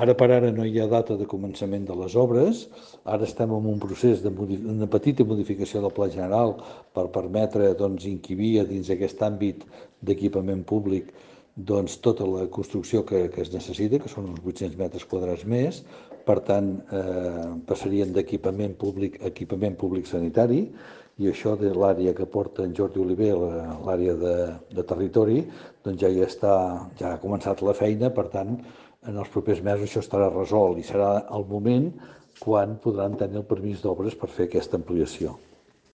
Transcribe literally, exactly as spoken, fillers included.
Ara per ara no hi ha data de començament de les obres, ara estem en un procés de una petita modificació del Pla General per permetre doncs, inquibir a dins d'aquest àmbit d'equipament públic doncs, tota la construcció que, que es necessita, que són uns vuit-cents metres quadrats més. Per tant, eh, passarien d'equipament públic a equipament públic sanitari, i això de l'àrea que porta en Jordi Oliver, l'àrea de, de territori, doncs ja hi està, ja ha començat la feina. Per tant, en els propers mesos això estarà resolt i serà el moment quan podran tenir el permís d'obres per fer aquesta ampliació.